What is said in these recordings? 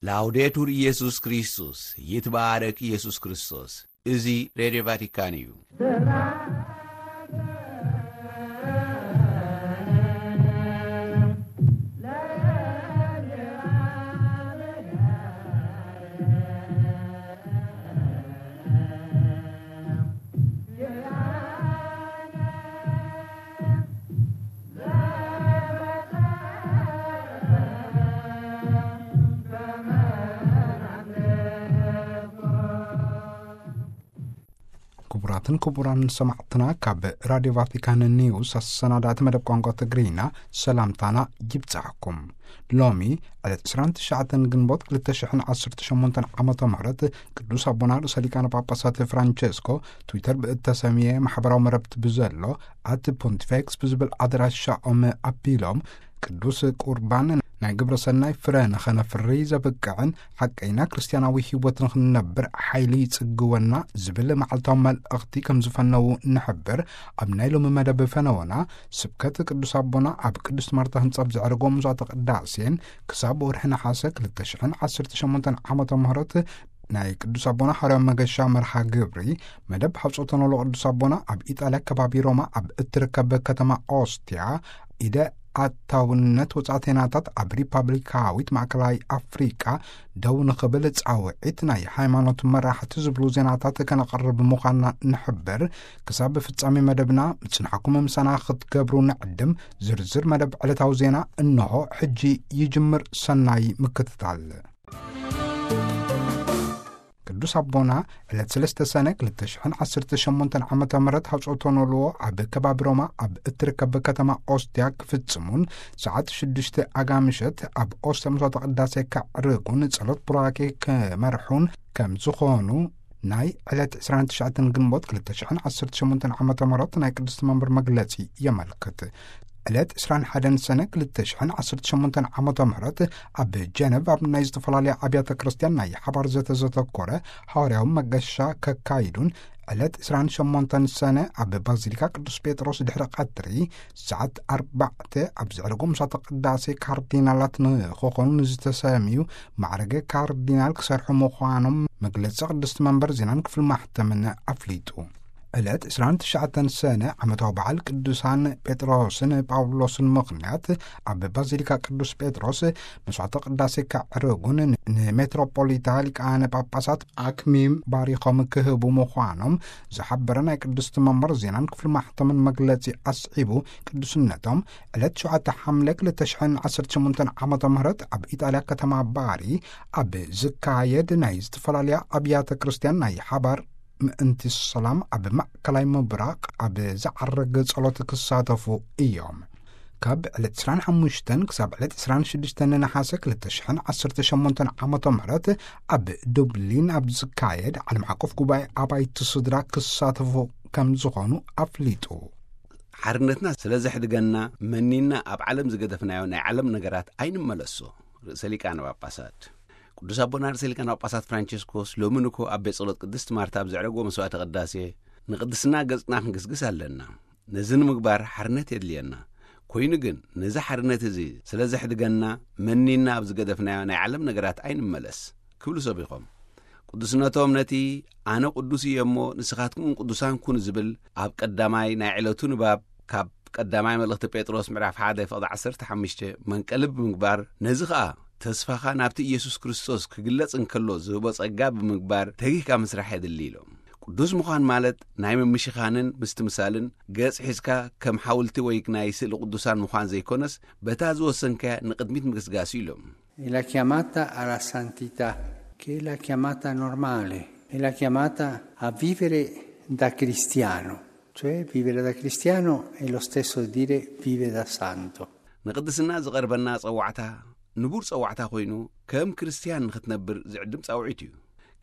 ላውዴቱር ኢየሱስ ክርስቶስ፣ ይትባረክ ኢየሱስ ክርስቶስ። እዚ ሬድዮ ቫቲካን እዩ። ክቡራትን ክቡራን ሰማዕትና፣ ካብ ራድዮ ቫቲካን ኒውስ ኣሰናዳእቲ መደብ ቋንቋ ትግርኛ ሰላምታና ይብጻሕኩም። ሎሚ ዕለት ዕስራን ትሽዓተን ግንቦት ክልተ ሽሕን ዓሰርተ ሸሞንተን ዓመተ ምህረት ቅዱስ ኣቦና ርእሰ ሊቃነ ጳጳሳት ፍራንቸስኮ ትዊተር ብእተሰምየ ማሕበራዊ መረብቲ ብዘሎ ኣት ፖንቲፌክስ ብዝብል ኣድራሻኦም ኣቢሎም ቅዱስ ቁርባን ናይ ግብረ ሰናይ ፍረ ንኸነፍሪ ዘብቅዕን ሓቀይና ክርስትያናዊ ህይወት ንኽንነብር ሓይሊ ይጽግወና ዝብል መዓልታዊ መልእኽቲ ከም ዝፈነዉ ንሕብር። ኣብ ናይ ሎሚ መደብ ፈነወና ስብከት ቅዱስ ኣቦና ኣብ ቅድስት ማርታ ህንጻ ኣብ ዘዕረጎ መስዋዕተ ቅዳሴን ክሳብ ወርሒ ነሓሰ ክልተ ሽሕን ዓሰርተ ሸሞንተን ዓመተ ምህረት ናይ ቅዱስ ኣቦና ሓዋርያዊ መገሻ መርሃ ግብሪ መደብ ሓውጾተ ኖሎ ቅዱስ ኣቦና ኣብ ኢጣልያ ከባቢ ሮማ ኣብ እትርከብ ከተማ ኦስትያ ኢደ ኣታውነት ወጻእተናታት ኣብ ሪፓብሊካዊት ማእከላይ ኣፍሪቃ ደው ንኽብል ጻውዒት ናይ ሃይማኖት መራሕቲ ዝብሉ ዜናታት ከነቕርብ ምዃንና ንሕብር። ክሳብ ፍጻሜ መደብና ምጽንሓኩም ምሳና ክትገብሩ ንዕድም። ዝርዝር መደብ ዕለታዊ ዜና እንሆ ሕጂ ይጅምር። ሰናይ ምክትታል። ቅዱስ ኣቦና ዕለት ሰለስተ ሰነ ክልተ ሽሕን ዓሰርተ ሸሞንተን ዓመተ ምህረት ሃውጾቶ ኖልዎ ኣብ ከባቢ ሮማ ኣብ እትርከብ ከተማ ኦስትያ ክፍጽሙን ሰዓት ሽዱሽተ ኣጋ ምሸት ኣብ ኦስትያ መስዋዕተ ቅዳሴ ከዕርጉን ጸሎት ቡራኬ ክመርሑን ከም ዝኾኑ ናይ ዕለት ዕስራን ትሽዓተን ግንቦት ክልተ ሽሕን ዓሰርተ ሸሞንተን ዓመተ ምህረት ናይ ቅድስቲ መንበር መግለጺ የመልክት። ዕለት ዕስራን ሓደን ሰነ ክልተ ሽሕን ዓሰርተ ሸሞንተን ዓመተ ምህረት ኣብ ጀነቭ ኣብ ናይ ዝተፈላለያ ኣብያተ ክርስቲያን ናይ ሓባር ዘተ ዘተኮረ ሃዋርያዊ መገሻ ከካይዱን ዕለት ዕስራን ሸሞንተን ሰነ ኣብ ባዚሊካ ቅዱስ ጴጥሮስ ድሕሪ ቀትሪ ሰዓት ኣርባዕተ ኣብ ዘዕረጎ ምሳተ ቅዳሴ ካርዲናላት ንክኾኑ ንዝተሰምዩ ማዕረገ ካርዲናል ክሰርሑ ምዃኖም መግለጺ ቅድስቲ መንበር ዜናን ክፍሊ ማሕተምን ኣፍሊጡ። ዕለት ዕስራን ትሽዓተን ሰነ ዓመታዊ በዓል ቅዱሳን ጴጥሮስን ጳውሎስን ምኽንያት ኣብ ባዚሊካ ቅዱስ ጴጥሮስ መስዋዕተ ቅዳሴ ከዕርጉን ንሜትሮፖሊታ ሊቃነ ጳጳሳት ኣክሚም ባሪኾም ክህቡ ምዃኖም ዝሓበረ ናይ ቅድስቲ መንበር ዜናን ክፍሊ ማሕተምን መግለጺ ኣስዒቡ፣ ቅዱስነቶም ዕለት ሸውዓተ ሓምለ ክልተ ሽሕን ዓሰርተ ሸሞንተን ዓመተ ምህረት ኣብ ኢጣልያ ከተማ ባሪ ኣብ ዝካየድ ናይ ዝተፈላለያ ኣብያተ ክርስቲያን ናይ ሓባር ምእንቲ ሰላም ኣብ ማእከላይ ምብራቕ ኣብ ዝዓረገ ጸሎት ክሳተፉ እዮም። ካብ ዕለት ዕስራን ሓሙሽተን ክሳብ ዕለት ዕስራን ሽዱሽተን ነሓሰ ክልተ ሽሕን ዓሰርተ ሸሞንተን ዓመተ ምህረት ኣብ ዱብሊን ኣብ ዝካየድ ዓለም ዓቀፍ ጉባኤ ኣባይቲ ስድራ ክሳተፉ ከም ዝኾኑ ኣፍሊጡ። ሓርነትና ስለ ዘሕድገና መኒና ኣብ ዓለም ዝገደፍናዮ ናይ ዓለም ነገራት ኣይንመለሶ። ርእሰ ሊቃነ ጳጳሳት ቅዱስ ኣቦና ርእሰ ሊቃነ ጳጳሳት ፍራንቸስኮስ ሎሚ ንኮ ኣብ ቤት ጸሎት ቅድስት ማርታ ኣብ ዘዕረግዎ መስዋዕተ ቅዳሴ ንቅድስና ገጽና ክንግስግስ ኣለና። ነዚ ንምግባር ሓርነት የድልየና። ኮይኑ ግን ነዚ ሓርነት እዚ ስለ ዘሕድገና መኒና ኣብ ዝገደፍናዮ ናይ ዓለም ነገራት ኣይንመለስ ክብሉ ሰቢኾም። ቅዱስነቶም ነቲ ኣነ ቅዱስ እየ እሞ ንስኻትኩም ቅዱሳን ኩኑ ዝብል ኣብ ቀዳማይ ናይ ዕለቱ ንባብ ካብ ቀዳማይ መልእኽቲ ጴጥሮስ ምዕራፍ ሓደ ፍቕዲ ዓሰርተ ሓሙሽተ መንቀሊ ብምግባር ነዚ ኸኣ ተስፋኻ ናብቲ ኢየሱስ ክርስቶስ ክግለጽ እንከሎ ዝህቦ ጸጋ ብምግባር ተጊህካ ምስራሕ የድሊ ኢሎም። ቅዱስ ምዃን ማለት ናይ ምምሽኻንን ምስትምሳልን ገጽ ሒዝካ ከም ሓውልቲ ወይ ናይ ስእሊ ቅዱሳን ምዃን ዘይኮነስ በታ ዝወሰንካያ ንቕድሚት ምግስጋስ እዩ ኢሎም። È la chiamata alla santità, che è la chiamata normale, è la chiamata a vivere da cristiano, cioè vivere da cristiano è lo stesso dire vive da santo. ንቅድስና ዝቐርበና ጸዋዕታ ንቡር ጸዋዕታ ኮይኑ ከም ክርስትያን ንኽትነብር ዝዕድም ጻውዒት እዩ።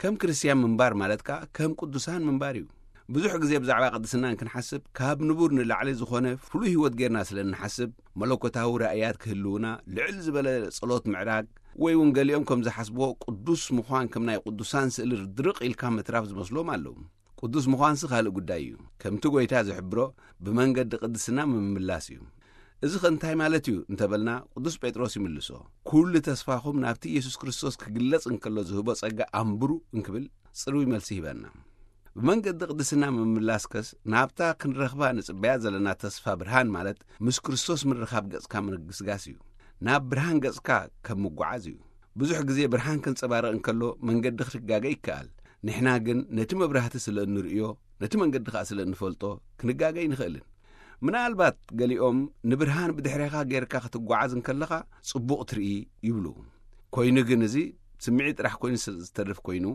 ከም ክርስትያን ምንባር ማለት ከኣ ከም ቅዱሳን ምንባር እዩ። ብዙሕ ግዜ ብዛዕባ ቅድስና እንክንሓስብ ካብ ንቡር ንላዕሊ ዝኾነ ፍሉይ ህይወት ጌርና ስለ እንሓስብ መለኮታዊ ራእያት ክህልውና ልዕል ዝበለ ጸሎት ምዕራግ ወይ እውን ገሊኦም ከም ዝሓስብዎ ቅዱስ ምዃን ከም ናይ ቅዱሳን ስእሊ ድርቕ ኢልካ ምትራፍ ዝመስሎም ኣለዉ። ቅዱስ ምዃንሲ ካልእ ጉዳይ እዩ። ከምቲ ጎይታ ዝሕብሮ ብመንገዲ ቅድስና ምምላስ እዩ። እዚ ኸ እንታይ ማለት እዩ እንተበልና፣ ቅዱስ ጴጥሮስ ይምልሶ፣ "ኩሉ ተስፋኹም ናብቲ ኢየሱስ ክርስቶስ ክግለጽ እንከሎ ዝህቦ ጸጋ ኣንብሩ" እንክብል ጽሩይ መልሲ ይህበና። ብመንገዲ ቅድስና ምምላስከስ፣ ናብታ ክንረኽባ ንጽበያ ዘለና ተስፋ ብርሃን፣ ማለት ምስ ክርስቶስ ምርኻብ ገጽካ ምግስጋስ እዩ። ናብ ብርሃን ገጽካ ከም ምጓዓዝ እዩ። ብዙሕ ግዜ ብርሃን ክንጸባረቕ እንከሎ መንገዲ ክትጋገ ይከኣል። ንሕና ግን ነቲ መብራህቲ ስለ እንርእዮ፣ ነቲ መንገዲ ኸኣ ስለ እንፈልጦ፣ ክንጋገ ኣይንኽእልን። ምናልባት ገሊኦም ንብርሃን ብድሕሬኻ ጌርካ ክትጓዓዝ እንከለኻ ጽቡቕ ትርኢ ይብሉ። ኮይኑ ግን እዚ ስምዒት ጥራሕ ኮይኑ ስለ ዝተርፍ ኮይኑ፣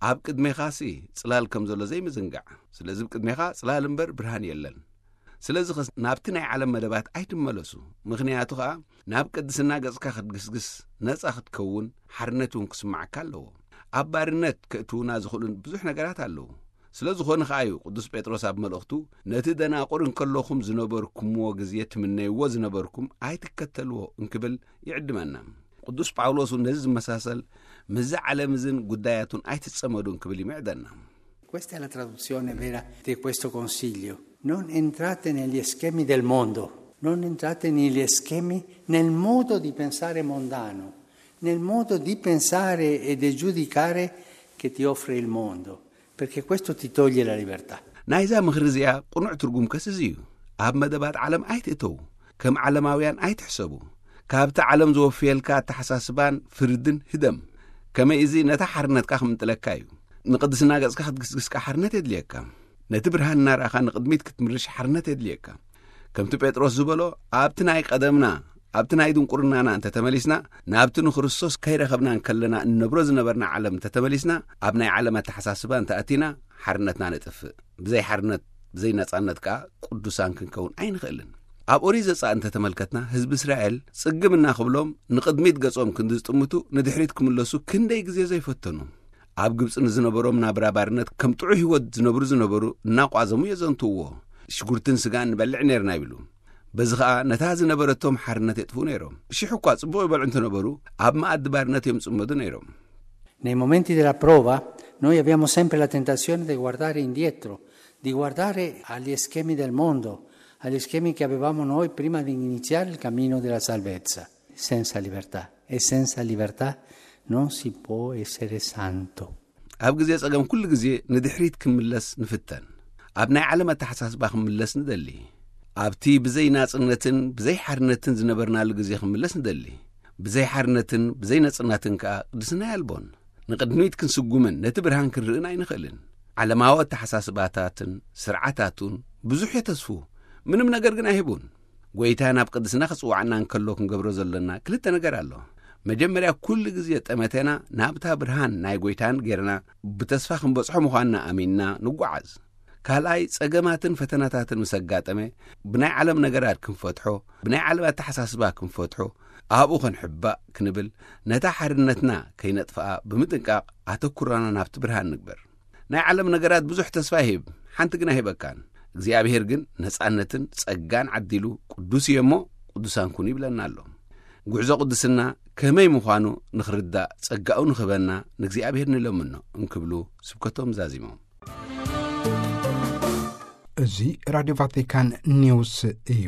ኣብ ቅድሜኻሲ ጽላል ከም ዘሎ ዘይምዝንጋዕ። ስለዚ ኣብ ቅድሜኻ ጽላል እምበር ብርሃን የለን። ስለዚ ኸስ ናብቲ ናይ ዓለም መደባት ኣይትመለሱ። ምኽንያቱ ኸኣ ናብ ቅድስና ገጽካ ክትግስግስ፣ ነጻ ክትከውን፣ ሓርነት እውን ክስማዓካ ኣለዎ። ኣብ ባርነት ከእትዉና ዝኽእሉ ብዙሕ ነገራት ኣለዉ። ስለ ዝኾነ ኸኣ እዩ ቅዱስ ጴጥሮስ ኣብ መልእኽቱ፣ "ነቲ ደናቁር እንከለኹም ዝነበርኩምዎ ግዜ ትምነይዎ ዝነበርኩም ኣይትከተልዎ" እንክብል ይዕድመና። ቅዱስ ጳውሎስ እውን ነዚ ዝመሳሰል፣ "ምስዚ ዓለም እዝን ጉዳያቱን ኣይትጸመዱ" እንክብል ይምዕደና። Questa è la traduzione vera di questo consiglio. Non entrate negli schemi del mondo, non entrate negli schemi, nel modo di pensare mondano, nel modo di pensare e di giudicare che ti offre il mondo, perché questo ti toglie la libertà. ናይዛ ምኽሪ እዚኣ ቅኑዕ ትርጉም ከስ እዚ እዩ። ኣብ መደባት ዓለም ኣይትእተዉ። ከም ዓለማውያን ኣይትሕሰቡ። ካብቲ ዓለም ዝወፍየልካ ኣተሓሳስባን ፍርድን ህደም። ከመይ እዚ ነታ ሓርነትካ ክምንጥለካ እዩ። ንቅድስና ገጽካ ክትግስግስካ ሓርነት የድልየካ። ነቲ ብርሃን እናረኣኻ ንቕድሚት ክትምርሽ ሓርነት የድልየካ። ከምቲ ጴጥሮስ ዝበሎ፣ ኣብቲ ናይ ቀደምና፣ ኣብቲ ናይ ድንቁርናና እንተተመሊስና፣ ናብቲ ንክርስቶስ ከይረኸብና እንከለና እንነብሮ ዝነበርና ዓለም እንተተመሊስና፣ ኣብ ናይ ዓለም ኣተሓሳስባ እንተኣቲና፣ ሓርነትና ነጥፍእ። ብዘይ ሓርነት፣ ብዘይ ነጻነት ከኣ ቅዱሳን ክንከውን ኣይንኽእልን። ኣብ ኦሪት ዘጸኣት እንተተመልከትና፣ ህዝቢ እስራኤል ጽግም እናኽብሎም ንቕድሚት ገጾም ክንዲ ዝጥምቱ ንድሕሪት ክምለሱ ክንደይ ግዜ ዘይፈተኑ። ኣብ ግብጺ ንዝነበሮም ናብራ ባርነት ከም ጥዑይ ህይወት ዝነብሩ ዝነበሩ እናቋዘሙ የዘንትውዎ። ሽጉርትን ስጋን ንበልዕ ነርና ይብሉ። በዚ ኸኣ ነታ ዝነበረቶም ሓርነት የጥፍኡ ነይሮም። ሽሕ እኳ ጽቡቕ ይበልዑ እንተነበሩ፣ ኣብ መኣዲ ባርነት እዮም ጽመዱ ነይሮም። Nei momenti della prova noi abbiamo sempre la tentazione di guardare indietro, di guardare agli schemi del mondo, agli schemi che avevamo noi prima di iniziare il cammino della salvezza. Senza libertà. E senza libertà non si può essere santo. ኣብ ግዜ ጸገም ኩሉ ግዜ ንድሕሪት ክምለስ ንፍተን። ኣብ ናይ ዓለም ኣተሓሳስባ ክምለስ ንደሊ። ኣብቲ ብዘይ ናጽነትን ብዘይ ሓርነትን ዝነበርናሉ ግዜ ክምለስ ንደሊ። ብዘይ ሓርነትን ብዘይ ነጽነትን ከኣ ቅድስና የልቦን። ንቕድሚት ክንስጉምን ነቲ ብርሃን ክንርእን ኣይንኽእልን። ዓለማዊ ኣተሓሳስባታትን ስርዓታቱን ብዙሕ የተስፉ፣ ምንም ነገር ግን ኣይህቡን። ጎይታ ናብ ቅድስና ክጽውዓና እንከሎ ክንገብሮ ዘለና ክልተ ነገር ኣሎ። መጀመርያ፣ ኩሉ ግዜ ጠመተና ናብታ ብርሃን ናይ ጎይታን ጌርና ብተስፋ ክንበጽሖ ምዃንና ኣሚንና ንጓዓዝ። ካልኣይ፣ ጸገማትን ፈተናታትን ምስ ኣጋጠመ፣ ብናይ ዓለም ነገራት ክንፈትሖ፣ ብናይ ዓለም ኣተሓሳስባ ክንፈትሖ፣ ኣብኡ ክንሕባእ ክንብል፣ ነታ ሓርነትና ከይነጥፍኣ ብምጥንቃቕ ኣተኩሮና ናብቲ ብርሃን ንግበር። ናይ ዓለም ነገራት ብዙሕ ተስፋ ይህብ፣ ሓንቲ ግን ኣይህበካን። እግዚኣብሔር ግን ነጻነትን ጸጋን ዓዲሉ፣ ቅዱስ እየ እሞ ቅዱሳን ኩኑ ይብለና ኣሎ። ጉዕዞ ቅድስና ከመይ ምዃኑ ንኽርዳእ ጸጋኡ ንኽህበና ንእግዚኣብሔር ንለምኖ እንክብሉ ስብከቶም ዛዚሞም። እዚ ራድዮ ቫቲካን ኒውስ እዩ።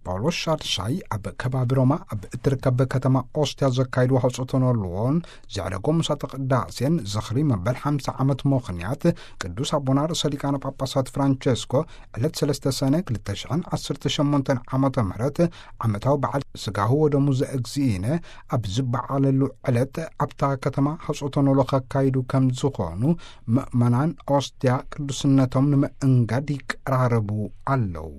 ጳውሎስ ሻድሻይ ኣብ ከባቢ ሮማ ኣብ እትርከብ ከተማ ኦስትያ ዘካይድዎ ሃውፅቶኖልዎን ዘዕረጎ ምሳተ ቅዳሴን ዝኽሪ መበል ሓምሳ ዓመት ምኽንያት ቅዱስ ኣቦና ርእሰ ሊቃነ ጳጳሳት ፍራንቸስኮ ዕለት ሰለስተ ሰነ ክልተ ሽሕን ዓሰርተ ሸሞንተን ዓመተ ምህረት ዓመታዊ በዓል ስጋሁ ወደሙ ዘእግዚእነ ኣብ ዝበዓለሉ ዕለት ኣብታ ከተማ ሃውፅቶኖሎ ከካይዱ ከም ዝኾኑ ምእመናን ኦስትያ ቅዱስነቶም ንምእንጋድ ይቀራረቡ ኣለዉ።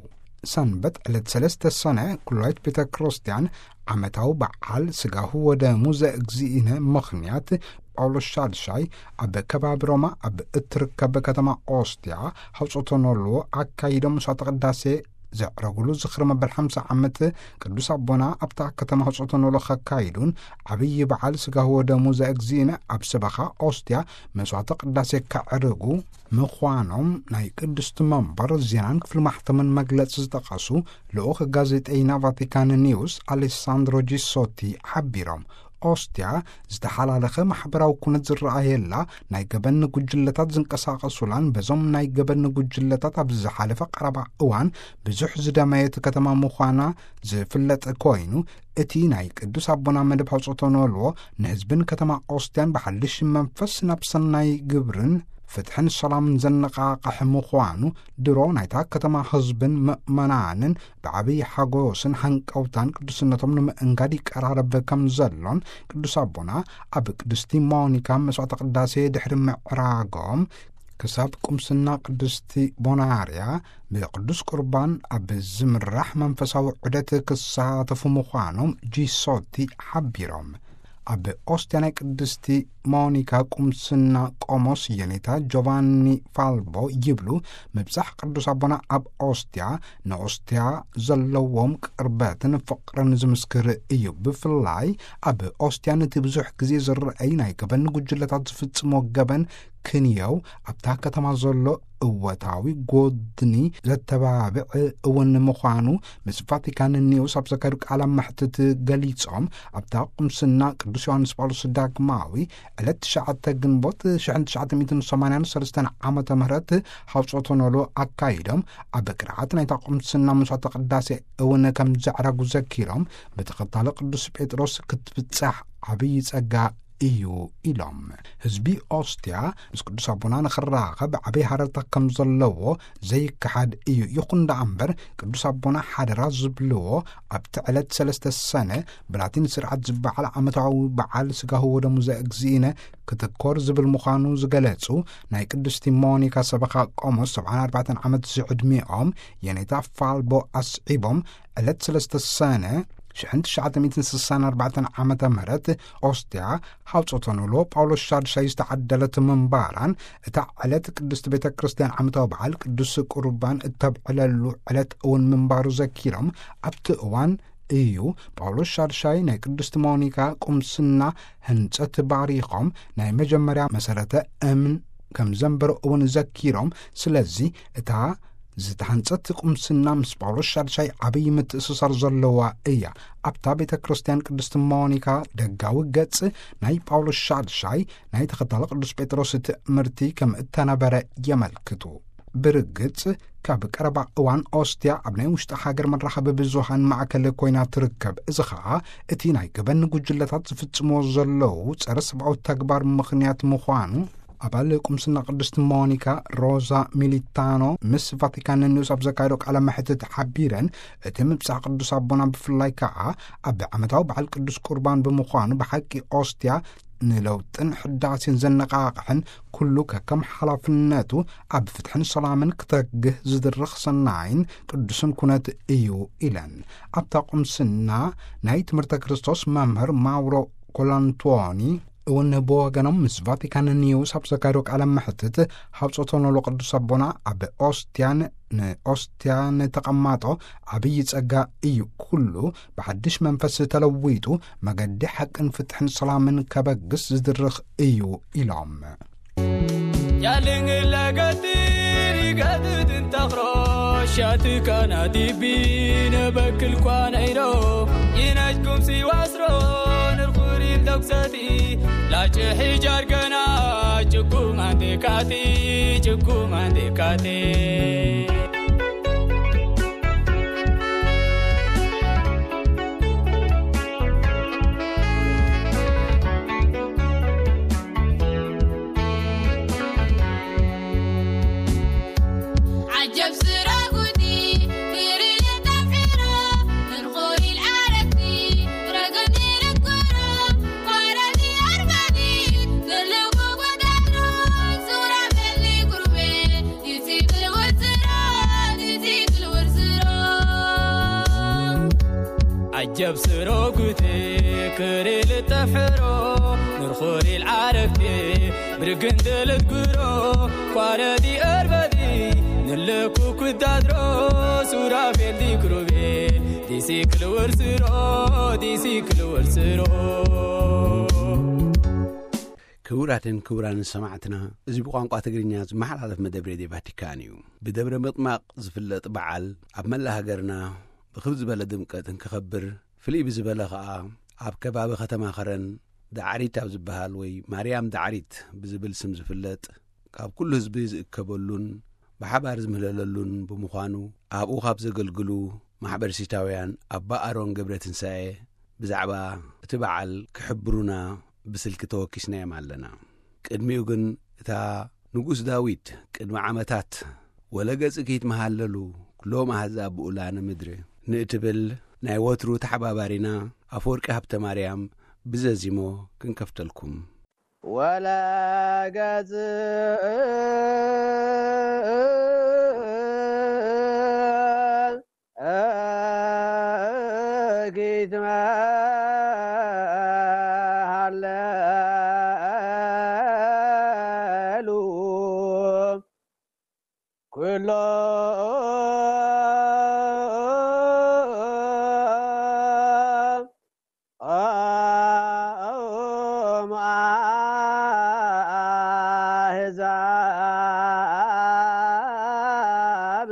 ሰንበት ዕለት ሰለስተ ሰነ ኩላይት ቤተ ክርስቲያን ዓመታዊ በዓል ስጋሁ ወደሙ ዘእግዚእነ ምኽንያት ጳውሎስ ሻድሻይ ኣብ ከባቢ ሮማ ኣብ እትርከብ ከተማ ኦስትያ ሃውፅቶኖሎ ኣካይዶም ምሳተ ቅዳሴ ዘዕረጉሉ ዝኽሪ መበል ሓምሳ ዓመት ቅዱስ ኣቦና ኣብታ ከተማ ሃውፅቶኖሎ ከካይዱን ዓብዪ በዓል ስጋሁ ወደሙ ዘእግዚእነ ኣብ ሰበኻ ኦስትያ መስዋዕተ ቅዳሴ ከዕርጉ ምዃኖም ናይ ቅድስቲ መንበር ዜናን ክፍሊ ማሕተምን መግለጺ ዝጠቐሱ ልኡኽ ጋዜጠይና ቫቲካን ኒውስ ኣሌሳንድሮ ጂሶቲ ሓቢሮም። ኦስትያ ዝተሓላለኸ ማሕበራዊ ኩነት ዝረኣየላ፣ ናይ ገበን ጉጅለታት ዝንቀሳቐሱላን በዞም ናይ ገበን ጉጅለታት ኣብ ዝሓለፈ ቀረባ እዋን ብዙሕ ዝደመየት ከተማ ምዃና ዝፍለጥ ኮይኑ፣ እቲ ናይ ቅዱስ ኣቦና መደብ ሃውጾቶ ንበልዎ ንህዝብን ከተማ ኦስትያን ብሓድሽ መንፈስ ናብ ሰናይ ግብርን ፍትሕን ሰላምን ዘነቓቕሕ ምዃኑ፣ ድሮ ናይታ ከተማ ህዝብን ምእመናንን ብዓብዪ ሓጎስን ሃንቀውታን ቅዱስነቶም ንምእንጋድ ይቀራረብ ከም ዘሎን፣ ቅዱስ ኣቦና ኣብ ቅድስቲ ሞኒካ መስዋዕተ ቅዳሴ ድሕሪ ምዕራጎም ክሳብ ቁምስና ቅድስቲ ቦናርያ ብቅዱስ ቁርባን ኣብ ዝምራሕ መንፈሳዊ ዑደት ክሳተፉ ምዃኖም ጂሶቲ ሓቢሮም። ኣብ ኦስትያ ናይ ቅድስቲ ሞኒካ ቁምስና ቆሞስ የኔታ ጆቫኒ ፋልቦ ይብሉ፣ ምብጻሕ ቅዱስ ኣቦና ኣብ ኦስትያ ንኦስትያ ዘለዎም ቅርበትን ፍቕርን ዝምስክር እዩ። ብፍላይ ኣብ ኦስትያ ነቲ ብዙሕ ግዜ ዝረኣይ ናይ ገበን ጉጅለታት ዝፍጽሞ ገበን ክንየው ኣብታ ከተማ ዘሎ እወታዊ ጎድኒ ዘተባብዕ እውን ምዃኑ ምስ ቫቲካን ኒውስ ኣብ ዘካየዱ ቃለ መሕትት ገሊጾም፣ ኣብታ ቁምስና ቅዱስ ዮሃንስ ጳውሎስ ዳግማዊ ዕለት ትሽዓተ ግንቦት ሽሕን ትሽዓተ ሚእትን ሰማንያን ሰለስተን ዓመተ ምህረት ሃውጾቶ ኖሎ ኣካይዶም፣ ኣብ ቅርዓት ናይታ ቁምስና መስዋዕተ ቅዳሴ እውን ከም ዘዕረጉ ዘኪሮም፣ ብተኸታሊ ቅዱስ ጴጥሮስ ክትብጻሕ ዓብዪ ጸጋ እዩ ኢሎም። ህዝቢ ኦስትያ ምስ ቅዱስ ኣቦና ንኽራኸብ ዓብዪ ሃረርታ ከም ዘለዎ ዘይከሓድ እዩ። ይኹን ደኣ እምበር፣ ቅዱስ ኣቦና ሓደራ ዝብልዎ ኣብቲ ዕለት ሰለስተ ሰነ ብላቲን ስርዓት ዝበዓል ዓመታዊ በዓል ስጋሁ ወደሙ ዘእግዚእነ ክትኮር ዝብል ምዃኑ ዝገለጹ ናይ ቅድስቲ ሞኒካ ሰበኻ ቆሞስ ሰብዓን ኣርባዕተን ዓመት ዝዕድሚኦም የኔታ ፋልቦ ኣስዒቦም፣ ዕለት ሰለስተ ሰነ ሽሕን ትሽዓተ ሚእትን ስሳን ኣርባዕተን ዓመተ ምህረት ኦስትያ ሃውጾቶ ኖሎ ጳውሎስ ሻድሻይ ዝተዓደለት ምንባራን፣ እታ ዕለት ቅድስቲ ቤተ ክርስቲያን ዓመታዊ በዓል ቅዱስ ቁርባን እተብዕለሉ ዕለት እውን ምንባሩ ዘኪሮም፣ ኣብቲ እዋን እዩ ጳውሎስ ሻድሻይ ናይ ቅድስቲ ሞኒካ ቁምስና ህንጸት ባሪኾም ናይ መጀመርያ መሰረተ እምን ከም ዘንበሩ እውን ዘኪሮም፣ ስለዚ እታ ዝተሃንጸት ቁምስና ምስ ጳውሎስ ሻድሻይ ዓብዪ ምትእስሳር ዘለዋ እያ። ኣብታ ቤተ ክርስቲያን ቅድስቲ ሞኒካ ደጋዊ ገጽ ናይ ጳውሎስ ሻድሻይ ናይ ተኸታሊ ቅዱስ ጴጥሮስ ትእምርቲ ከም እተነበረ የመልክቱ። ብርግጽ፣ ካብ ቀረባ እዋን ኦስትያ ኣብ ናይ ውሽጢ ሃገር መራኸቢ ብዙሃን ማእከል ኮይና ትርከብ። እዚ ኸኣ እቲ ናይ ገበን ጉጅለታት ዝፍጽምዎ ዘለዉ ጸረ ሰብኣዊ ተግባር ምኽንያት ምዃኑ ኣባል ቁምስና ቅድስቲ ሞኒካ ሮዛ ሚሊታኖ ምስ ቫቲካን ኒውስ ኣብ ዘካየዶ ቃለ መሕትት ሓቢረን፣ እቲ ምብጻሕ ቅዱስ ኣቦና ብፍላይ ከኣ ኣብ ዓመታዊ በዓል ቅዱስ ቁርባን ብምዃኑ ብሓቂ ኦስትያ ንለውጥን ሕዳሴን ዘነቓቕሕን ኩሉ ከከም ሓላፍነቱ ኣብ ፍትሕን ሰላምን ክተግህ ዝድርኽ ሰናይን ቅዱስን ኩነት እዩ ኢለን። ኣብታ ቁምስና ናይ ትምህርተ ክርስቶስ መምህር ማውሮ ኮላንቶኒ እውን ብወገኖም ምስ ቫቲካን ኒውስ ኣብ ዘካየዶ ቃለ መሕትት፣ ሃውጾቶ ኖሎ ቅዱስ ኣቦና ኣብ ኦስትያን ንኦስትያን ተቐማጦ ዓብዪ ጸጋ እዩ። ኩሉ ብሓድሽ መንፈስ ተለዊጡ መገዲ ሓቅን ፍትሕን ሰላምን ከበግስ ዝድርኽ እዩ ኢሎም። Yalingila gatiri gatudin takro shati kana dibina bakil kwana iro inaj kum si wasro nurkhuri doksati lache hijar gana chukum ande kati chukum ande kati. عجب سراقتي كريلة تفيرو من خوري العربي رقدي للكرو قرني أربدي كلكو قدرو صورة بلي قربي عجب سروقتي كري لتفحرو نرخوري العرفتي برقندل تقرو كواردي أربدي نلكو كدادرو سورافيل دي كروبي دي سيكل ورسرو دي سيكل ورسرو. ክቡራትን ክቡራንን ሰማዕትና፣ እዚ ብቋንቋ ትግርኛ ዝመሓላለፍ መደብ ሬድዮ ቫቲካን እዩ። ብደብረ ምጥማቕ ዝፍለጥ በዓል ኣብ መላእ ሃገርና ብኽብ ዝበለ ድምቀት እንክኸብር፣ ፍልይ ብዝበለ ኸኣ ኣብ ከባቢ ከተማ ኸረን ዳዕሪት ኣብ ዝበሃል ወይ ማርያም ዳዕሪት ብዝብል ስም ዝፍለጥ፣ ካብ ኩሉ ህዝቢ ዝእከበሉን ብሓባር ዝምህለለሉን ብምዃኑ፣ ኣብኡ ካብ ዘገልግሉ ማሕበርሲታውያን ኣባ ኣሮን ገብረ ትንሳኤ ብዛዕባ እቲ በዓል ክሕብሩና ብስልኪ ተወኪስናዮም ኣለና። ቅድሚኡ ግን፣ እታ ንጉስ ዳዊት ቅድሚ ዓመታት "ወለገጽኪ ይትመሃለሉ ኩሎም ኣህዛብ ብኡላነ ምድሪ" ንእትብል ናይ ወትሩ ተሓባባሪና ኣፈወርቂ ሃብተ ማርያም ብዘዚሞ ክንከፍተልኩም። ወለገጽ ኪትመሃለሉ ኩሎም ኣህዛብ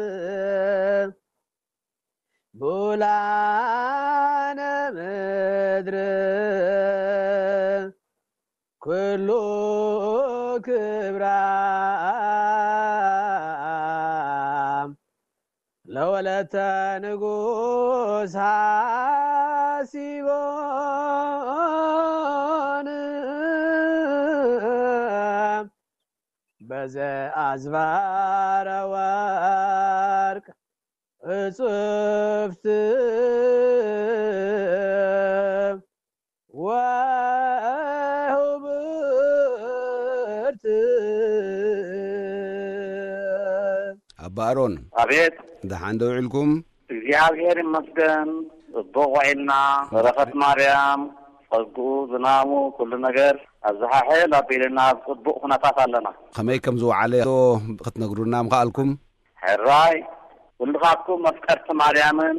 ብኡላነ ምድር ኩሉ ክብራ ለወለተ ንጉስ ሓሲቦን በዘ ኣዝባረ ወርቅ እጽፍት ወህብርት። ኣባ ኣሮን፣ ኣቤት። ደሓን ዶ ውዒልኩም? እግዚኣብሔር ይመስገን፣ ጽቡቕ ውዒልና። በረኸት ማርያም፣ ጸግኡ፣ ዝናሙ፣ ኩሉ ነገር ኣብዝሓሕል ኣቢልና ኣብ ጽቡቕ ኩነታት ኣለና። ከመይ ከም ዝወዓለ ዶ ክትነግሩና ምኸኣልኩም? ሕራይ፣ ኩልኻትኩም መፍቀርቲ ማርያምን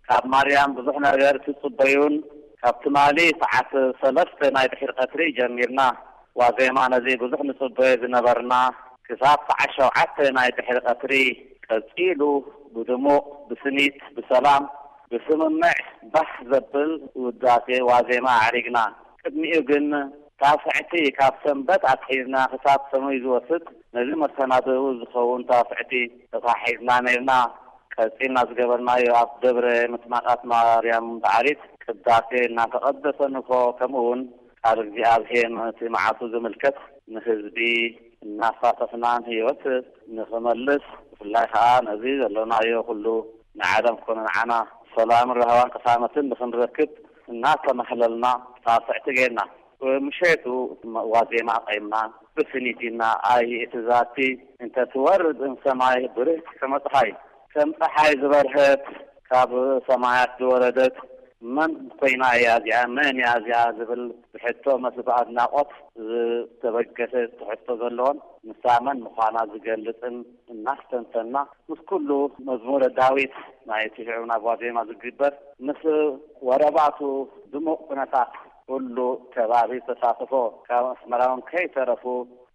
ካብ ማርያም ብዙሕ ነገር ትጽበዩን፣ ካብ ትማሊ ሰዓት ሰለስተ ናይ ድሕሪ ቀትሪ ጀሚርና ዋዜማ ነዚ ብዙሕ ንጽበዮ ዝነበርና ክሳብ ሰዓት ሸውዓተ ናይ ድሕሪ ቀትሪ ቀጺሉ ብድሙቕ፣ ብስኒት፣ ብሰላም፣ ብስምምዕ ባህ ዘብል ውዳሴ ዋዜማ ኣዕሪግና። ቅድሚኡ ግን ታስዕቲ ካብ ሰንበት ኣትሒዝና ክሳብ ሰኑይ ዝወስድ ነዚ መሰናድኡ ዝኸውን ታስዕቲ ተታሒዝና ነርና። ቀጺልና ዝገበርናዮ ኣብ ደብረ ምጥማቓት ማርያም ዳዕሪት ቅዳሴ እናተቐደሰ ንግሆ፣ ከምኡ እውን ቃል እግዚኣብሔር ነቲ መዓልቱ ዝምልከት ንህዝቢ እናሳተፍናን ህይወት ንኽመልስ፣ ብፍላይ ከዓ ነዚ ዘሎናዮ ኩሉ ንዓለም ኮነ ንዓና ሰላምን ራህዋን ቅሳነትን ንኽንረክብ እናተማህለልና ታስዕቲ ጌርና። ምሸቱ ዋዜማ ኣቐይምና ብስኒት ኢልና፣ ኣይ እቲ ዛቲ እንተ ትወርድ እምሰማይ ብርህቲ ከመ ጸሓይ፣ ከም ጸሓይ ዝበርሀት ካብ ሰማያት ዝወረደት መን ኮይና እያ እዚኣ? መን እያ እዚኣ? ዝብል ብሕቶ፣ መስ ብኣድናቖት ዝተበገሰ ትሕዝቶ ዘለዎን ንሳ መን ምዃና ዝገልጽን እናስተንተና፣ ምስ ኩሉ መዝሙረ ዳዊት ናይቲ ሽዑ ናብ ዋዜማ ዝግበር፣ ምስ ወረባቱ ድሙቕ ኩነታት ኩሉ ከባቢ ተሳትፎ፣ ካብ ኣስመራ እውን ከይተረፉ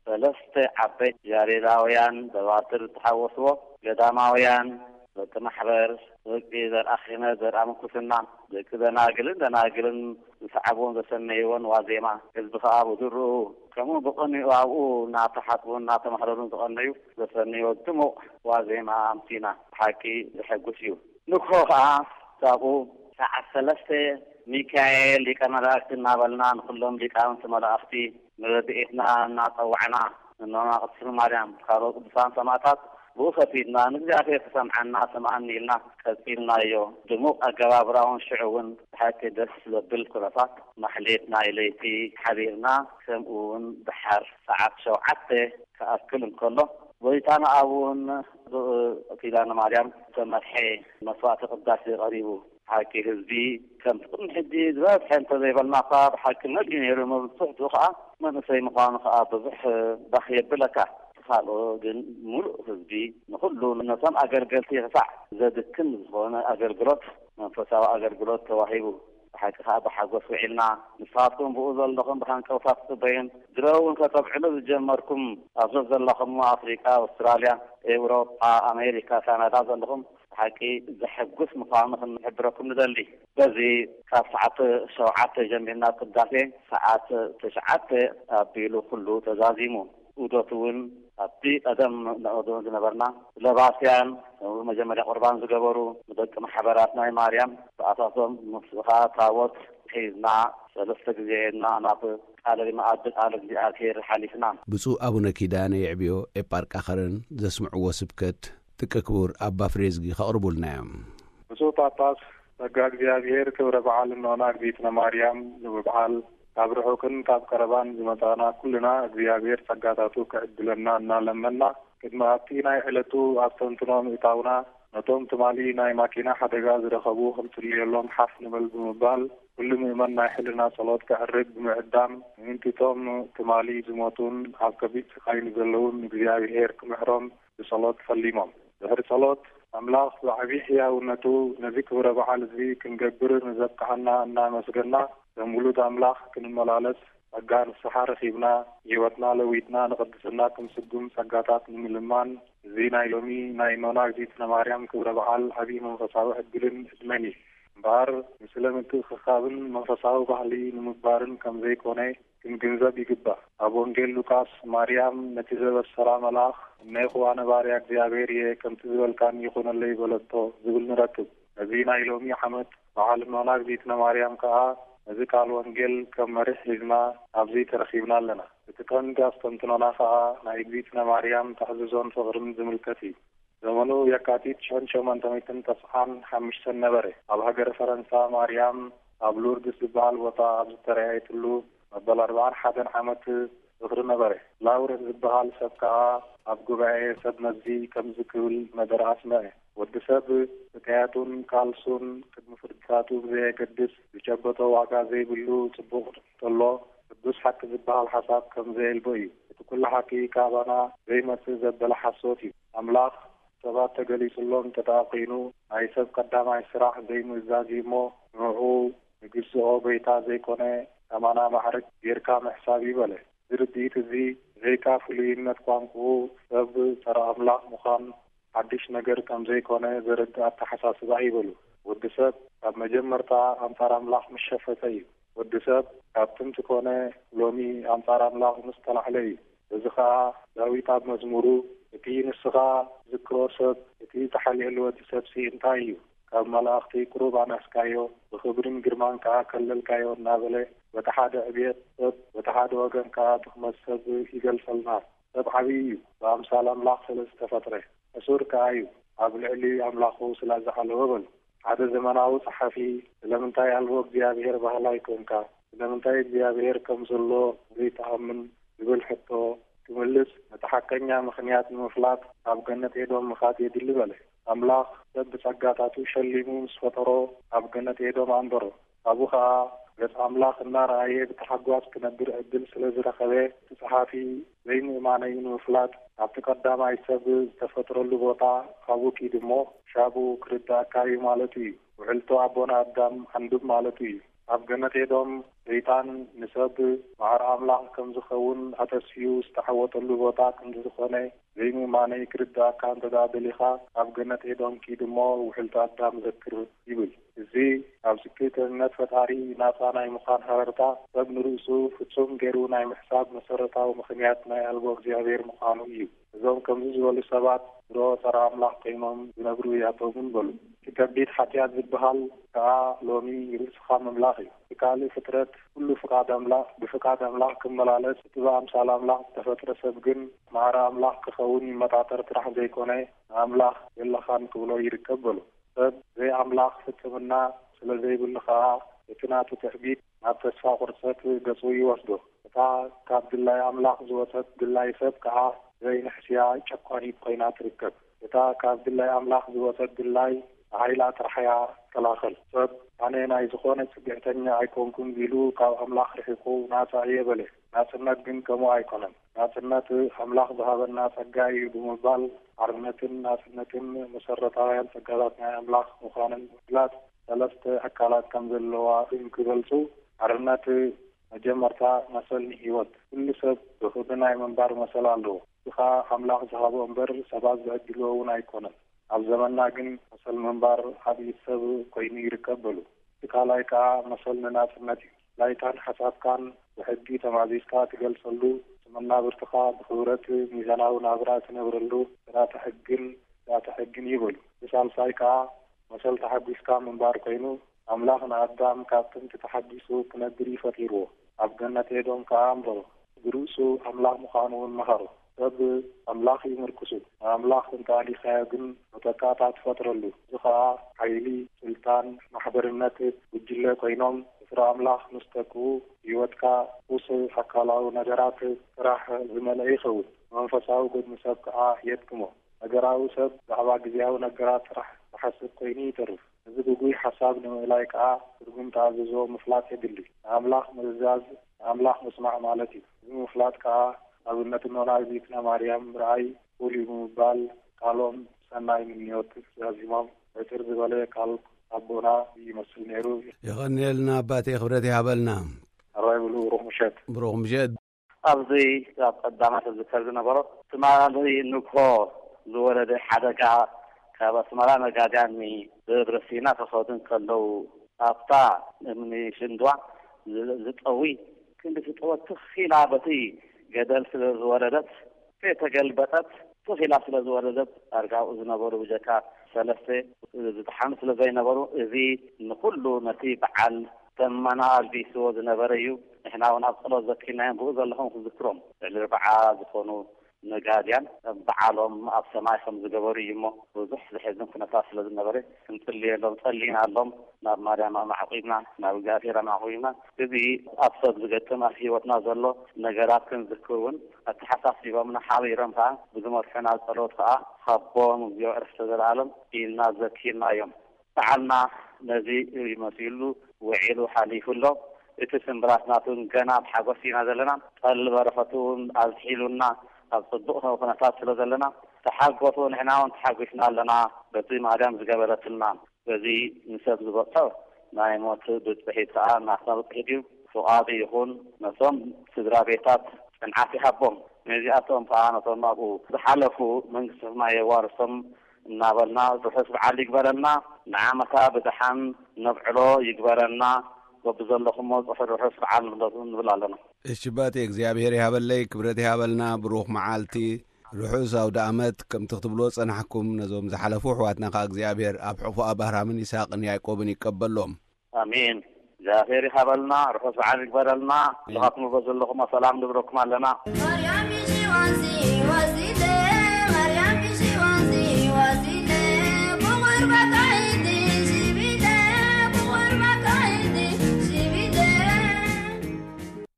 ሰለስተ ዓበይቲ ያሬዳውያን ደባትር ዝተሓወስዎ፣ ገዳማውያን፣ ደቂ ማሕበር፣ ደቂ ዘርኣ ክህነት፣ ዘርኣ ምንኩስና፣ ደቂ ደናግልን ደናግልን ዝሰዓብዎን ዘሰነይዎን ዋዜማ፣ ህዝቢ ከኣ ብድርኡ ከምኡ ብቕንኡ ኣብኡ እናተሓጥቡን እናተማህለሉን ዝቐነዩ ዘሰነይዎ ድሙቕ ዋዜማ ኣምሲና። ብሓቂ ዘሐጉስ እዩ። ንግሆ ከኣ ካብኡ ሰዓት ሰለስተ ሚካኤል ሊቀ መላእክቲ እናበልና ንኹሎም ሊቃውንቲ መላእኽቲ ንረድኤትና እናጸዋዕና፣ እኖና ቅድስቲ ማርያም፣ ካልኦት ቅዱሳን ሰማዕታት ብኡ ከፊትና ንእግዚኣብሔር ክሰምዓና ስምዓኒ ኢልና ቀጺልናዮ። ድሙቕ ኣገባብራውን ሽዑ እውን ብሓቂ ደስ ዘብል ኩነታት ማሕሌት ናይ ለይቲ ሓዲርና፣ ከምኡ እውን ደሓር ሰዓት ሸውዓተ ክኣክል እንከሎ፣ ጎይታና ኣብ እውን ብኡይ ኪዳነ ማርያም ዝተመርሐ መስዋዕተ ቅዳሴ ቀሪቡ። ሓቂ ህዝቢ ከምቲ ቅድሚ ሕጂ ዝበዝሐ እንተዘይበልና እኳ ብሓቂ መሊኡ ነይሩ። መብዝሕትኡ ከዓ መንእሰይ ምዃኑ ከዓ ብዙሕ ባህ የብለካ። ካልኦ ግን ምሉእ ህዝቢ ንኹሉ ነቶም ኣገልገልቲ ክሳዕ ዘድክም ዝኾነ ኣገልግሎት፣ መንፈሳዊ ኣገልግሎት ተዋሂቡ። ብሓቂ ከዓ ብሓጎስ ውዒልና። ንስኻትኩም ብኡ ዘለኹም ብሃንቀውታ ትጽበዩን ድሮ እውን ከተብዕሉ ዝጀመርኩም ኣብ ዘለኹም ኣፍሪቃ፣ ኣውስትራልያ፣ ኤውሮጳ፣ ኣሜሪካ፣ ካናዳ ዘለኹም ሓቂ ዘሐጉስ ምዃኑ ክንሕብረኩም ንደሊ። በዚ ካብ ሰዓት ሸውዓተ ጀሚርና ቅዳሴ ሰዓት ትሽዓተ ኣቢሉ ኩሉ ተዛዚሙ። ዑደት እውን ኣብቲ ቀደም ንዕዶ ዝነበርና ለባስያን መጀመርያ ቁርባን ዝገበሩ ንደቂ ማሕበራት ናይ ማርያም ብኣሳሶም ምስኻ ታቦት ሒዝና ሰለስተ ግዜ ሄድና ናብ ቃለ መኣዲ ቃል እግዚኣብሔር ሓሊፍና። ብፁዕ ኣቡነ ኪዳነ የዕብዮ ኤጳርቃ ከረን ዘስምዕዎ ስብከት ጥቀ ክቡር ኣባ ፍሬዝጊ ከቕርቡልና እዮም። ብፁዕ ጳጳስ ጸጋ እግዚኣብሔር ክብረ በዓል እኖና እግዚእትነ ማርያም ንምብዓል ካብ ርሑቅን ካብ ቀረባን ዝመጻና ኩልና እግዚኣብሔር ጸጋታቱ ክዕድለና እናለመና ቅድሚ ኣብቲ ናይ ዕለቱ ኣስተንትኖ ምእታውና ነቶም ትማሊ ናይ ማኪና ሓደጋ ዝረኸቡ ክንጽልየሎም ሓፍ ንበል ብምባል ኩሉ ምእመን ናይ ሕልና ጸሎት ከዕርግ ብምዕዳም ምእንቲቶም ትማሊ ዝሞቱን ኣብ ከቢድ ስቃይ ንዘለውን እግዚኣብሔር ክምሕሮም ብጸሎት ፈሊሞም። ድሕሪ ጸሎት ኣምላኽ ብዓቢ ሕያውነቱ ነዚ ክብረ በዓል እዚ ክንገብር ንዘብቅሓና እናመስገና ከም ውሉድ ኣምላኽ ክንመላለስ ጸጋ ንስሓ ረኺብና፣ ህይወትና ለዊጥና ንቕድስና ክንስጉም ጸጋታት ንምልማን፣ እዚ ናይ ሎሚ ናይ ኖና እግዚእትነ ማርያም ክብረ በዓል ዓቢ መንፈሳዊ ዕድልን ዕድመን እዩ። እምበኣር፣ ንስለ ምትእኽኻብን መንፈሳዊ ባህሊ ንምግባርን ከም ዘይኮነ ክንግንዘብ ይግባእ። ኣብ ወንጌል ሉቃስ፣ ማርያም ነቲ ዘበሰራ መልኣኽ፣ "እነሆ ኣነ ባርያ እግዚኣብሔር እየ፣ ከምቲ ዝበልካኒ ይኹነለይ" በለቶ ዝብል ንረክብ። ነዚ ናይ ሎሚ ዓመት በዓል እኖና እግዚእትነ ማርያም ከኣ ነዚ ቃል ወንጌል ከም መሪሕ ሒዝና ኣብዚ ተረኺብና ኣለና። እቲ ቀንዲ ኣስተንትኖና ከኣ ናይ እግዚእትነ ማርያም ትሕዝዞን ፍቕርን ዝምልከት እዩ። ዘመኑ የካቲት ሽሕን ሸሞንተ ሚእትን ተስዓን ሓሙሽተን ነበረ። ኣብ ሃገረ ፈረንሳ ማርያም ኣብ ሉርድስ ዝበሃል ቦታ ኣብ ዝተረኣየትሉ መበል ኣርብዓን ሓደን ዓመት ዝኽሪ ነበረ። ላውረንስ ዝበሃል ሰብ ከኣ ኣብ ጉባኤ ሰብ መዚ ከምዚ ክብል መደረ ኣስምዐ። ወዲ ሰብ ስቃያቱን ቃልሱን ቅድሚ ፍርድታቱ ብዘየገድስ ዝጨበጦ ዋጋ ዘይብሉ ጽቡቕ እንተሎ ቅዱስ ሓቂ ዝበሃል ሓሳብ ከም ዘየልቦ እዩ። እቲ ኩሉ ሓቂ ካባና ዘይመጽእ ዘበለ ሓሶት እዩ። ኣምላኽ ሰባት ተገሊጹሎም እንተ ደኣ ኾይኑ፣ ናይ ሰብ ቀዳማይ ስራሕ ዘይምእዛዝ እዩ እሞ፣ ንዕኡ ንግዝኦ ጎይታ ዘይኮነ፣ ኣማና ማዕርግ ጌርካ ምሕሳብ እዩ በለ። እዚ ርድኢት እዚ፣ ብዘይካ ፍሉይነት ቋንቋኡ፣ ሰብ ጸረ ኣምላኽ ምዃን ሓድሽ ነገር ከም ዘይኮነ ዘረድእ ኣተሓሳስባ እዩ በሉ። ወዲ ሰብ ካብ መጀመርታ ኣንጻር ኣምላኽ ምስ ሸፈተ እዩ። ወዲ ሰብ ካብ ጥንቲ ኮነ ሎሚ ኣንጻር ኣምላኽ ምስ ተላዕለ እዩ። እዚ ኸኣ ዳዊት ኣብ መዝሙሩ፣ "እቲ ንስኻ ትዝክሮ ሰብ፣ እቲ እተሓልየሉ ወዲ ሰብሲ እንታይ እዩ? ካብ መላእኽቲ ቁሩብ ኣንኣስካዮ፣ ብኽብርን ግርማን ከኣ ከለልካዮ" እናበለ፣ በቲ ሓደ ዕብየት ሰብ፣ በቲ ሓደ ወገን ከኣ ድኽመት ሰብ ይገልጸልና። ሰብ ዓብዪ እዩ፣ ብኣምሳል ኣምላኽ ስለ ዝተፈጥረ። ሕሱር ከኣ እዩ፣ ኣብ ልዕሊ ኣምላኹ ስለ ዝዓለወ በሉ። ሓደ ዘመናዊ ጸሓፊ፣ "ስለምንታይ ኣልቦ እግዚኣብሔር በሃላይ ኮንካ? ስለምንታይ እግዚኣብሔር ከም ዘሎ ዘይትኣምን?" ዝብል ሕቶ ክምልስ፣ ነቲ ሓቀኛ ምኽንያት ንምፍላጥ ኣብ ገነት ኤዶም ምኻድ የድሊ በለ። ኣምላኽ ሰብ ብጸጋታቱ ሸሊሙ ምስ ፈጠሮ፣ ኣብ ገነት ኤዶም ኣንበሮ። ኣብኡ ኸኣ ገጽ ኣምላኽ እናረኣየ ብታሕጓስ ክነብር ዕድል ስለ ዝረኸበ፣ እቲ ጸሓፊ ዘይምእማነዩ ንምፍላጥ፣ ኣብቲ ቀዳማይ ሰብ ዝተፈጥረሉ ቦታ ኣብኡ ኪዱ እሞ፣ ሻቡ ክርድኣካ እዩ ማለቱ እዩ። ውዕልቶ ኣቦና ኣዳም ኣንብብ ማለቱ እዩ። ኣብ ገነት ኤዶም፣ ሰይጣን ንሰብ ማዕረ ኣምላኽ ከም ዝኸውን ኣተስፍዩ ዝተዓወተሉ ቦታ ክንዲ ዝኾነ፣ ዘይምእማነይ ክርድኣካ እንተ ደኣ ደሊኻ፣ ኣብ ገነት ኤዶም ኪድ እሞ ውዕልቲ ኣዳም ዘክር ይብል። እዚ ኣብ ስክህትነት ፈጣሪ ናጻ ናይ ምዃን ሃረርታ፣ ሰብ ንርእሱ ፍጹም ገይሩ ናይ ምሕሳብ መሰረታዊ ምኽንያት ናይ ኣልቦ እግዚኣብሔር ምዃኑ እዩ። እዞም ከምዚ ዝበሉ ሰባት ድሮ ጸረ ኣምላኽ ኮይኖም ዝነብሩ ያቶምን በሉ። እቲ ከቢድ ሓጢኣት ዝበሃል ከኣ ሎሚ ርእስኻ ምምላኽ እዩ። እቲ ካልእ ፍጥረት ኩሉ ፍቓድ ኣምላኽ፣ ብፍቓድ ኣምላኽ ክመላለስ፣ እቲ ብኣምሳል ኣምላኽ ዝተፈጥረ ሰብ ግን ማዕረ ኣምላኽ ክኸውን ይመጣጠር ጥራሕ ዘይኮነ፣ ንኣምላኽ የለኻን ክብሎ ይርከብ በሉ። ሰብ ዘይኣምላኽ ፍጽምና ስለ ዘይብሉ ከኣ፣ እቲ ናቱ ትዕቢት ናብ ተስፋ ቁርጸት ገጹ ይወስዶ። እታ ካብ ድላይ ኣምላኽ ዝወጸት ድላይ ሰብ ከኣ ዘይንሕስያ ጨቋኒት ኮይና ትርከብ። እታ ካብ ድላይ ኣምላኽ ዝወጸት ድላይ ብሓይላ ጥራሕ እያ ትከላኸል። ሰብ፣ "ኣነ ናይ ዝኾነ ጽግዕተኛ ኣይኮንኩን" ቢሉ ካብ ኣምላኽ ርሒቑ ናጻ እየ በለ። ናጽነት ግን ከምኡ ኣይኮነን። ናጽነት ኣምላኽ ዝሃበና ጸጋ እዩ ብምባል፣ ሓርነትን ናጽነትን መሰረታውያን ጸጋታት ናይ ኣምላኽ ምዃንን ብምፍላጥ፣ ሰለስተ ኣካላት ከም ዘለዋ እንክገልጹ፣ ሓርነት መጀመርታ መሰል ንህይወት። ኩሉ ሰብ ብኽብሪ ናይ ምንባር መሰል ኣለዎ። እዚ ኸኣ ኣምላኽ ዝሃቦ እምበር ሰባት ዝዕድልዎ እውን ኣይኮነን። ኣብ ዘመንና ግን መሰል ምንባር ዓብዪ ሰብ ኮይኑ ይርከብ በሉ። እቲ ካልኣይ ከኣ መሰል ንናጽነት እዩ። ናይታን ሓሳብካን ብሕጊ ተማዚዝካ ትገልጸሉ፣ መናብርትኻ ብኽብረት ሚዛናዊ ናብራ ትነብረሉ ስርዓተ ሕግን ስርዓተ ሕግን እዩ በሉ። እቲ ሳልሳይ ከኣ መሰል ተሓጒስካ ምንባር ኮይኑ፣ ኣምላኽ ንኣዳም ካብ ጥንቲ ተሓጒሱ ክነብር እዩ ፈጢርዎ። ኣብ ገነት ኤዶም ከኣ ኣንበሮ። ብርእሱ ኣምላኽ ምዃኑ እውን መኸሮ። ሰብ ኣምላኽ እዩ ምርኩሱ። ንኣምላኽ እንተ ኣሊኻዮ ግን፣ መተካእታ ትፈጥረሉ። እዚ ኸኣ ሓይሊ፣ ስልጣን፣ ማሕበርነት፣ ጉጅለ ኮይኖም፣ ፍረ ኣምላኽ ምስ ተክኡ፣ ህይወትካ ቁስ ኣካላዊ ነገራት ጥራሕ ዝመልአ ይኸውን። መንፈሳዊ ጎድኒ ሰብ ከኣ የድክሞ። ነገራዊ ሰብ ብዛዕባ ግዜያዊ ነገራት ጥራሕ ዝሓስብ ኮይኑ ይተርፍ። እዚ ግጉይ ሓሳብ ንምእላይ ከኣ ትርጉም ተኣዝዞ ምፍላጥ የድሊ። ንኣምላኽ ምእዛዝ ንኣምላኽ ምስማዕ ማለት እዩ። እዚ ምፍላጥ ከኣ ኣብነት እኖና እግዝእትነ ማርያም ምርኣይ፣ ቁል እዩ ብምባል ቃሎም ሰናይ ምንዮት ዛዚሞም ዕጥር ዝበለ ቃል ኣቦና ይመስል ነይሩ። የቐንየልና ኣባቴ፣ ክብረት ይሃበልና። ኣራይ ብሉ ብሩኽ ምሸት። ብሩኽ ምሸት። ኣብዚ ኣብ ቀዳማት ዝዝከር ዝነበሮ ትማሊ ንግሆ ዝወረደ ሓደጋ ካብ ኣስመራ ነጋድያን ብእግሪ ሲና ክኸዱ እንከለዉ ኣብታ እምኒ ሽንድዋ ዝ-፣ ዝጠዊ ክንዲ ትጠወ ትኽ ኢላ በቲ ገደል ስለ ዝወረደት ከይተገልበጠት ትኽ ኢላ ስለ ዝወረደት ዳርጋ ኣብኡ ዝነበሩ ብጀካ ሰለስተ ዝደሓኑ ስለ ዘይነበሩ እዚ ንኹሉ ነቲ በዓል ደመና ኣልቢስዎ ዝነበረ እዩ። ንሕና እውን ኣብ ጸሎት ዘኪርናዮም ብኡ ዘለኹም ክዝክሮም ልዕሊ ኣርብዓ ዝኾኑ ነጋድያን በዓሎም ኣብ ሰማይ ከም ዝገበሩ እዩ እሞ ብዙሕ ዘሕዝን ኩነታት ስለ ዝነበረ ክንጽልየሎም ጸሊናሎም ናብ ማርያም ኣማዕቂብና ናብ እግዚኣብሔር ኣማዕቂብና እዚ ኣብ ሰብ ዝገጥም ኣብ ህይወትና ዘሎ ነገራት ክንዝክር እውን ኣተሓሳሲቦምና ሓቢሮም ከዓ ብዝመርሑና ጸሎት ከዓ ሃቦም እግዚኣብሔር ዕረፍተ ዘለኣለም ኢልና ዘኪርና እዮም። በዓልና ነዚ እዩ መሲሉ ውዒሉ ሓሊፉ ኣሎ። እቲ ስምብራት ናቱ ገና ብሓጎስ ኢና ዘለና። ጠል በረኸቱ እውን ኣዝሒሉና ኣብ ጽቡቕ ኩነታት ስለ ዘለና ተሓጎሱ፣ ንሕና እውን ተሓጒስና ኣለና በቲ ማርያም ዝገበረትልና። በዚ ንሰብ ዝበጽሖ ናይ ሞት ብጽሒት ከኣ ናትና ብጽሒት እዩ። ፍቓዱ ይኹን ነቶም ስድራ ቤታት ጽንዓት ይሃቦም። ነዚኣቶም ከኣ ነቶም ኣብኡ ዝሓለፉ መንግስቲ ሰማይ የዋርሶም እናበልና ርሑስ በዓል ይግበረልና። ንዓመታ ብደሓን ነብዕሎ ይግበረና። በብዘለኹሞ ጽሑ ርሑስ በዓል ንብለኩም ንብል ኣለና። እሺ ኣባቴ፣ እግዚኣብሔር ይሃበለይ፣ ክብረት ይሃበልና፣ ብሩኽ መዓልቲ፣ ርሑስ ኣውደ ኣመት። ከምቲ ክትብልዎ ጸናሕኩም፣ ነዞም ዝሓለፉ ኣሕዋትና ከኣ እግዚኣብሔር ኣብ ሕፉኣ ባህራምን ይስሐቅን ያዕቆብን ይቀበሎም። ኣሜን። እግዚኣብሔር ይሃበልና፣ ርሑስ በዓል ይግበረልና። ኣሜን። ንኻትኩም በዘለኹም ሰላም ንብለኩም ኣለና። ማርያም ይሽዋንሲ ወሲለ፣ ማርያም ይሽዋንሲ ወሲለ፣ ብቑርባታ ኢዲ ሽቢለ፣ ብቑርባታ ኢዲ ሽቢለ።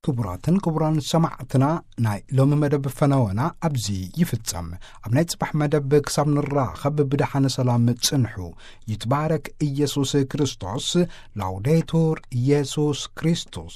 ክቡራትን ክቡራን ሰማዕትና፣ ናይ ሎሚ መደብ ፈነወና ኣብዚ ይፍጸም። ኣብ ናይ ጽባሕ መደብ ክሳብ ንራኸብ ብደሓነ ሰላም ጽንሑ። ይትባረክ ኢየሱስ ክርስቶስ። ላውዴቱር ኢየሱስ ክርስቶስ።